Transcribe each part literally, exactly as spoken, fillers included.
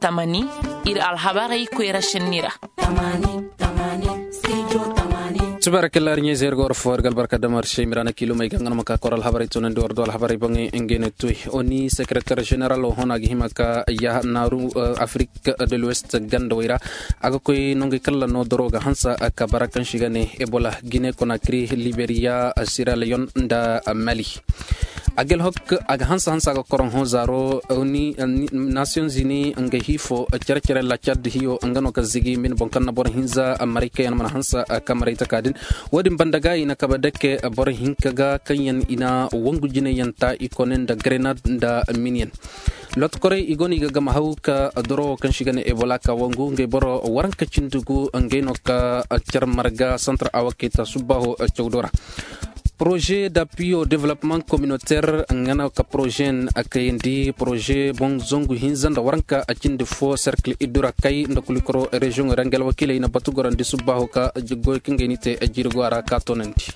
Tamani, iri alhabarey koyra senni ra. Suba ra kalla iri ɲayze iri ga war fo iri ga albarka damar se mirana kilo may ga nga no ma ka kor alhabarey tunandi war do alhabarey boŋey ngey ne tuy. Oni secretaire général o hona ga hima ka ya naaru afrik de l'ouest ganda wayra a ga koy nongey kalla no doro ga hansa ka bara kaŋ si ga ne ebola guinée conakry liberia sierra leone nda mali. A ga alhok a ga hansa hansa ga koroŋ hõ zaaro. Nations unis nga hiifo care care la cad hiyo nga no ka zigi min boŋ kaŋ na boro hinza maray kaŋ yaŋ mana hansa ka maray taka din. Wo- din banda ga i na kabe dake boro hinka ga kaŋ yaŋ i na wangu jinay yaŋ ta i kone nda grenade nda miniyaŋ. Lotokorey i go no i ga gama haw ka doro wo kaŋ si ga ne ebola ka wangu ngey boro waranka cindi gu ngey no ka care marga centre awaketa subbaho cawdo ra. Projet d'appui au développement communautaire nga no ka projet n a kayandi projet boŋ zangu hinza nda waranka a cindi fo cercle iddu ra kay nda kulikoro région ra nga alwakiiley na batu gorandi subbaho ka goy kaŋ gay ni te jiiri go a ra ka tonandi.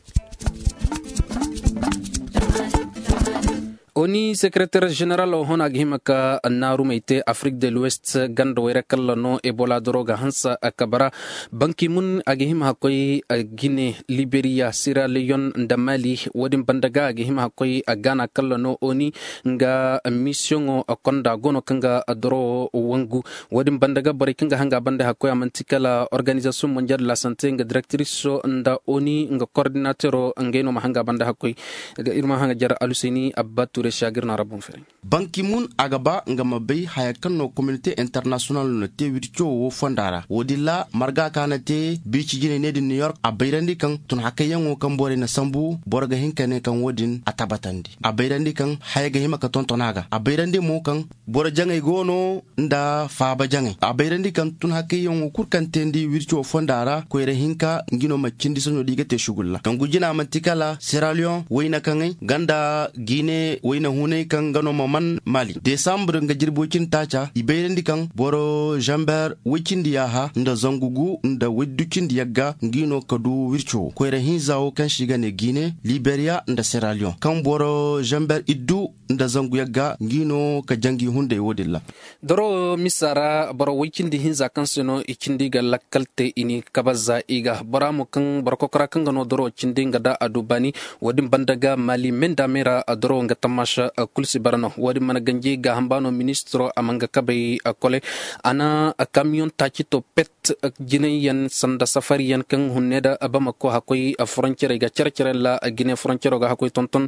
Oni secretaire général o hona ga hima ka naarumey te afrik de l'ouest ganda wayra kalla no ebola doro ga hansa a kabara. Banki mun a ga hima hakkoy gine liberia sierra leone nda mali. Wo- din banda ga a ga hima hakkoy a gana kalla no oni nga misiyoŋo konda go no kaŋ ga doro wangu. Wo- din banda ga borey kaŋ ga hanga banda hakkoy a manti kala organisation mondial de la santé nga directrice nda oni nga coordinateur ngey no ma hanga banda hakkoy. Iri ma hanga jare aluseni abba ture shagir na rabon fere. Banki mun a ga ba nga ma bay haya kaŋ no communauté international no te wirco wo fonda ra wo- din ra marga ka na te bici jinay ne din new york a bayrandi kaŋ tun hakayyaŋo kaŋ borey na sambu boro ga hin ka ne kaŋ wo- din a tabbatandi a bayrandi kaŋ haya ga hima ka tonton a ga a bayrandi mo kaŋ boro jaŋay go no nda faaba jaŋay a bayrandi kaŋ tun hakayyaŋo kulu kaŋ teendi wirco fonda ra koyra hinka nga no ma cindi saɲo da i ga te sugulla kaŋ gujina manti kala sierra leone wayna kaŋay ganda guinée wayna hunay kaŋ nga no ma man mali desambre nga jirbi way cindi taaca i bayrandi kaŋ boro zamber way cindi yaaha nda zangu gu nda way du cindi yagga nga no ka du wirco koyra hinza wo kaŋ si ga ne guinée liberia nda sierra leone kaŋ boro zamber iddu nda zangu yagga nga no ka jangi hunday wo- din ra. Doro misa ra boro way cindi hinza kaŋ se no i cindi ga lakkal te i ni kabaza i ga bora mo kaŋ boro kokora kaŋ ga no doro cindi nga da a du baani. Wo- din banda ga mali menda me ra doro nga tammaasa kulu si bara no wo- din mana ganji ga hamba no ministiro a ma nga kabay kole a na kamiyoŋ taaci to pet jinay yaŋ sanda safari yaŋ kaŋ hunne da bamako hakkoy frontiere ga care care ra gine frontiero ga hakkoy tonton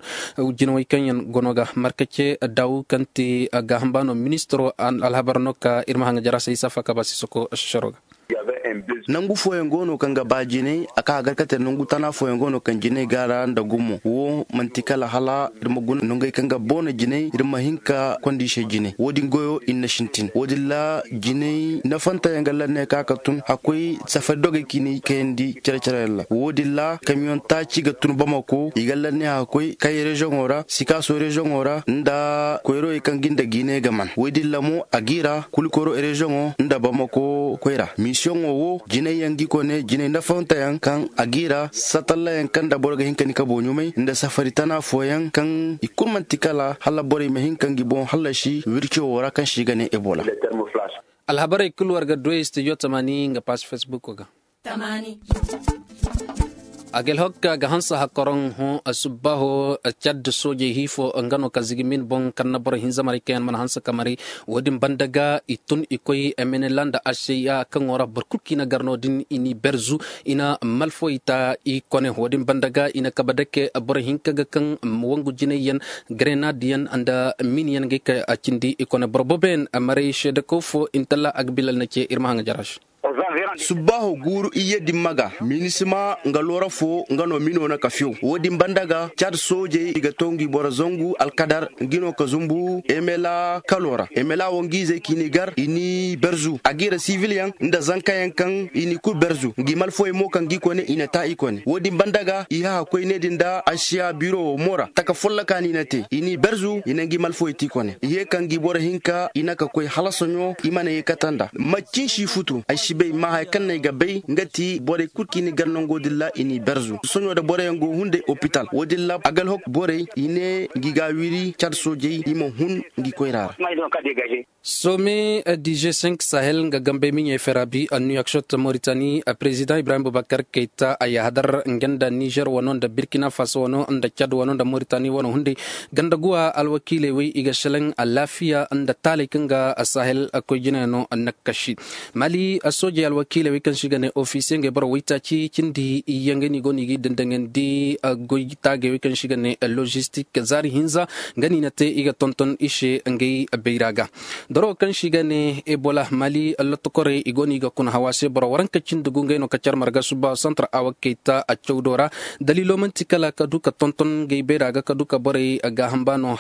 jinawey kaŋ yaŋ gono ga markace daw kaŋ te ga hamba no ministiro alhabar no ka iri ma hanga jara se isa faka ba sisoko sharo ga. Nangu fooyaŋ go no kaŋ ga ba jinay a ka hagar ka te nangu tana fooyaŋ go no kaŋ jinay ga ra nda gumo wo manti kala hala iri ma guna nangey kaŋ ga boona jinay iri ma hin ka kondi se jinay wo- din goyo iri na sintin wo- din ra jinay nafanta yaŋ ga lanne ka ka tun hakkoy safari dogey kaŋ i na i kayandi care care yaŋ ra wo- din ra kamiyoŋ taaci ga tun bamako i ga lanne hakkoy kay rezoŋo ra sikaso rezoŋo ra nda koyrowey kaŋ ga nda jinay ga man wo- din ra mo a g'i ra kulikoro rezoŋo nda bamako koyra misiyoŋo wo jinay yaŋ ga i kone jinay nafanta yaŋ kaŋ a g'i ra satalla yaŋ kaŋ nda boro ga hin ka ni ka booɲumay nda safari tana fooyaŋ kaŋ i kulu manti kala hala borey ma hin ka ngi boŋ hallasi wirco wo ra kaŋ se i ga ne ebola. Alhabarey kulu war ga du ay studio tamani nga paasi facebook ga. A ga alhokka ga hanse hakoroŋ hõ subbaho cadde soojey hiifo nga no ka zigi min boŋ kaŋ na boro hinza maray kaŋ yaŋ mana hanse ka maray. Wo- din banda ga i tun i koy emenela nda aseya kaŋo ra boro kulu kaŋ i na gar no- din i n'i berzu i na malfoy ta i kone wo- din banda ga i na kabe dake boro hinka ga kaŋ wangu jinay yaŋ grenade yaŋ nda mini yaŋ ga ay ka cindi i kone boro boobo yaŋ maray seedekaw fo intalla a ga bilal na ce iri ma haŋ ga jara se. Subbaaho guuru iyye dimma ga minisima nga loora fo nga no mino na ka fiyow wo- din banda ga cad soojey i ga to ngi boro zangu alkadar ngi no ka zumbu emela kalo ra emela wo ngi izey k'i n'i gar i n'i berzu a g'i ra sibil yaŋ nda zanka yaŋ kaŋ i n'i kulu berzu ngi malfoy mo kaŋ g'i kone i na ta i kone wo- din banda ga i hahakoy ne din nda asiya biro wo mo ra taka folloka no i na te i n'i berzu i na ngi malfoy te i kone i ye kaŋ ngi boro hinka i na ka koy hala soɲo i mana ye kata nda macin si futu ay si bay ma haya kaŋ no ay ga bay nga ti borey kulu kaŋ i na gar nango din ra i n'i berzu soɲo nda boroyaŋ go hunday opital wo- din ra agalhok borey i ne ngi ga wiri cad soojey i ma hun ngi koyra ra. Some di g cinq sahel nga gambey miɲey fera bi a nuyakshot moritani a president ibrahim bubakar kayta a yahadar nga nda niger wano nda burkina faso wano nda cad wano nda moritani wano hunday ganda guwa alwakiiley wey i ga shalaŋ alaafiya nda taaley kaŋ ga sahel koy jinayaŋ no. Nakkashi mali soojey alwakiiley wey kaŋ se i ga ne ofisiye ngey boro waytaaci cindi yaŋ ga no i go no i ga i dandaŋandi goy taagey wey kaŋ se i ga ne logistik zaari hinza nga no i na te i ga tonton i se ngey bayra ga. Doro kaŋ se i ga ne ebola mali lottokorey i go no i ga kuna hawa se boro waranka cindi gu ngey no ka care marga suba santar awa kayta a cawdo ra. Daliilo manti kala ka du ka tonton ngey bayra ga ka du ka borey gaaham ba no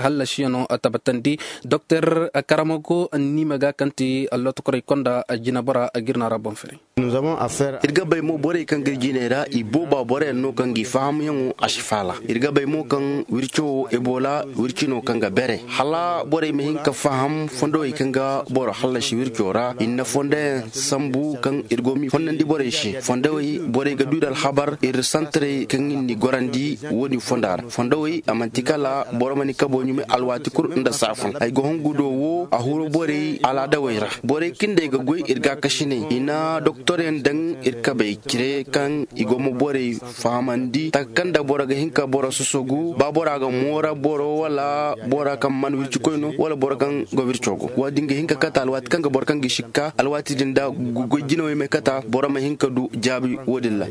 hallasiyaŋo tabatandi. Doktor karamago niima ga kaŋ ti lottokorey konda jinabora jirna ra boŋ fere. Iri ga bay mo borey kaŋ ga iri jiney ra i booba boroyaŋ no kaŋ ga i fahamyaŋo a si faala. Iri ga bay mo kaŋ wirco wo ebola wirci no kaŋ ga bere hala borey ma hin ka faham fondowey kaŋ ga boro hallasi wirco ra i na fondoyaŋ sambu kaŋ iri go ma i fondandi borey se fondowey borey ga du iri alhabar iri santarey kaŋ iri n'i gorandi. Wo-din fonda ra fondowey a manti kala boro ma ni kabo ɲumay alwaati kulu nda saafun ay ga hongu do wo a huru borey alaadawey ra. Borey kaŋ day ga goy iri gaakasiney i na doktoryaŋ daŋ iri kabey cire kaŋ i go ma borey fahamandi taka kaŋ nda boro ga hin ka boro sosogu ba bora ga moora boro wala bora kaŋ mana wircikoy no wala boro kaŋ ga wirco go wo-din ga hin ka kata alwaati kaŋ ga boro kaŋ ga i sikka alwaati din da goy jinawey ma kata boro ma hin ka du jaabi wo-din ra.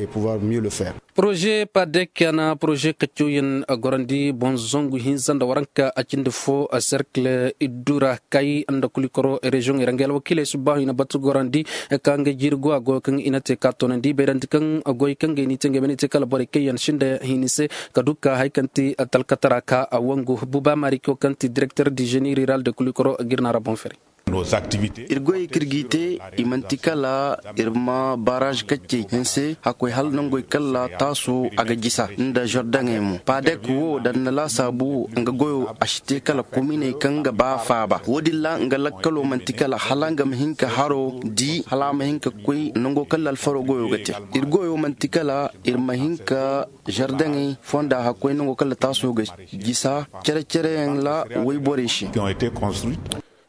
Poroze padek a na poroze kaccoyaŋ gorandi boŋ zangu hinza nda waranka a cindi fo serkle iddu ra kay nda kulikoro reziyoŋey ra ngey alwakiiley subbaahu i na batu gorandi ka ngey jiiri go a goyo kaŋ i na te ka toonandi bayrandi kaŋ goy kaŋ ngey n'i te ngey ma ne te kala borey kaŋ yaŋ sinda hini se ka du ka hari kaŋ ti talkatara ka a wangu buba mariko kaŋ ti direkter di zeni riral de kulikoro ga iri no a ra boŋ fere. Iri goyey kaŋ iri g'i te i manti kala iri ma baraaz kaccey hinse hakkoy hala nangey kala taaso a ga jisa nda zordaŋey mo paadek wo da ni na laasaabu wo nga goyo a si te kala kominey kaŋ ga ba faaba wo-din ra nga lakkalo manti kala hala nga ma hin ka haro di hala a ma hin ka koy nango kala alfaro goyo ga te. Iri goyo manti kala iri ma hin ka zordaŋey fonda hakkoy nango kala taaso ga jisa cere-cereyaŋ ra wayborey se.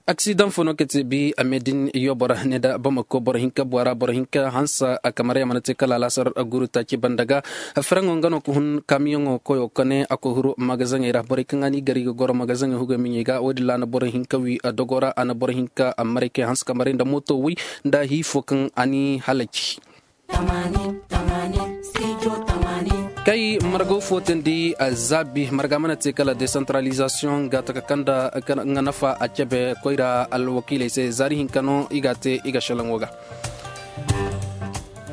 Aksidaŋ fo no ka te bi a me din yoobo ra ne nda bamako boro hinka buwa ra boro hinka hansa a kamar yaŋ mana te kala alaasar guru taaci banda ga. Faraŋo nga no ka hun kaamiyaŋo koyo kone a koy huru magazaŋey ra borey kaŋ a n'i gar i ga goro magazaŋey hugey miɲey ga wo- din ra a na boro hinka wi a dogo ra a na boro hinka a maray kay hanse kamaray nda mooto way nda hiifo kaŋ a n'i halaci. Kay margo fo tandi a zaabi marga mana te kala desantaralizasiyoŋ ga taka kaŋ nda nga nafa a cabe koyra alwakiiley se zaari hinka no i ga a te i ga selaŋo ga.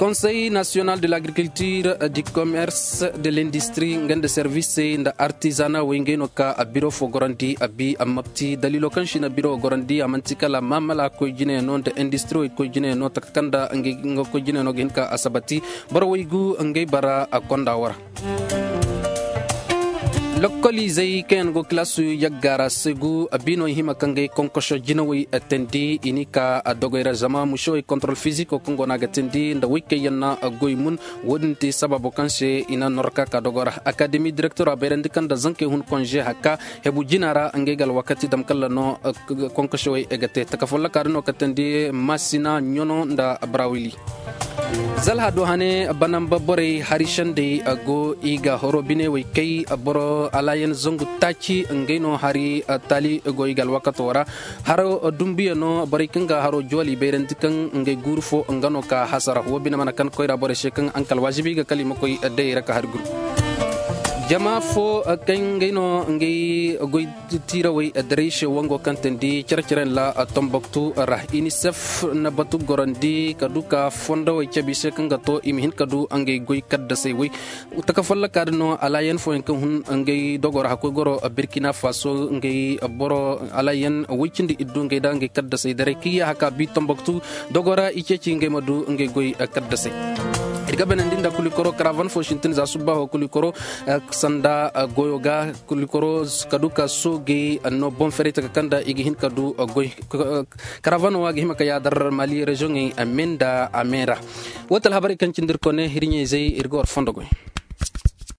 Konsey nasiyonal de l'agriculture, du commerce, de l'industrie nga nda servisey nda artizana wey ngey no ka a biro fo gorandi a bi a mapti daliilo kaŋ si na biro gorandi a manti kala maamala koy jine no nda industrie wey koy jine no taka kaŋ nda nga koy jine no ga hin ka a sabati. Boro wey gu ngey bara a konda wara. Lokkoliizey kaŋ yaŋ go kilaasu yagga ra se gu a bi no i hima ka ngey konkoso jinawey teendi i n'i ka a dogey ra zama musewey kontorol fiziko kaŋ go no a ga teendi nda wey kaŋ yaŋ na goy mun. Wo- din ti sabaabo kaŋ se i na norka ka dogo ra akademi direktoro a bayrandi kaŋ nda zankey hun konze hakka hebu jina ra ngey ga alwakati dam kala no. Konkosewey ga te taka folloka din no ka teendi masina ɲono nda barawili. Zalha do hane banamba borey hari sendey go i ga horo binewey kay boro alayen zangu taaci ngey no hari taali go i ga alwakato ra. Haro dumbuya no borey kaŋ ga haro jooli bayrandi kaŋ ngey guuru fo nga no ka hasara wo bine mana kan koyra borey se kaŋ a na kala waajibi ga kala i ma koy dayey ra ka hari guru. Jama fo kaŋ ngey no ngey goy tiirawey daray se wango kaŋ teendi care-care nda tomboktu ra inisef na batu gorandi ka du ka fondowey cabe i se kaŋ ga to i ma hin ka du ngey goy kaddasey wey. Taka folloka din no alayen fooyaŋ kaŋ hun ngey dogo ra hakkoy goro birkina faso ngey boro alayen way cindi iddu ngey da ngey kaddasey daray kaŋ i ya haka bi tomboktu dogo ra i ceeci ngey ma du ngey goy kaddasey. Iri ga banandi nda kulikoro karavan fo sintin za subbaaho kulikoro sanda goyo ga kulikoro ka du ka soogey no boŋ ferey taka kaŋ nda i ga hin ka du goy. Karavano wo a ga hima ka yaadar mali reziyoŋey a me nda a me ra. Wo ti alhabarey kaŋ cindi iri kone iri ɲayzey iri ga war fondo goy.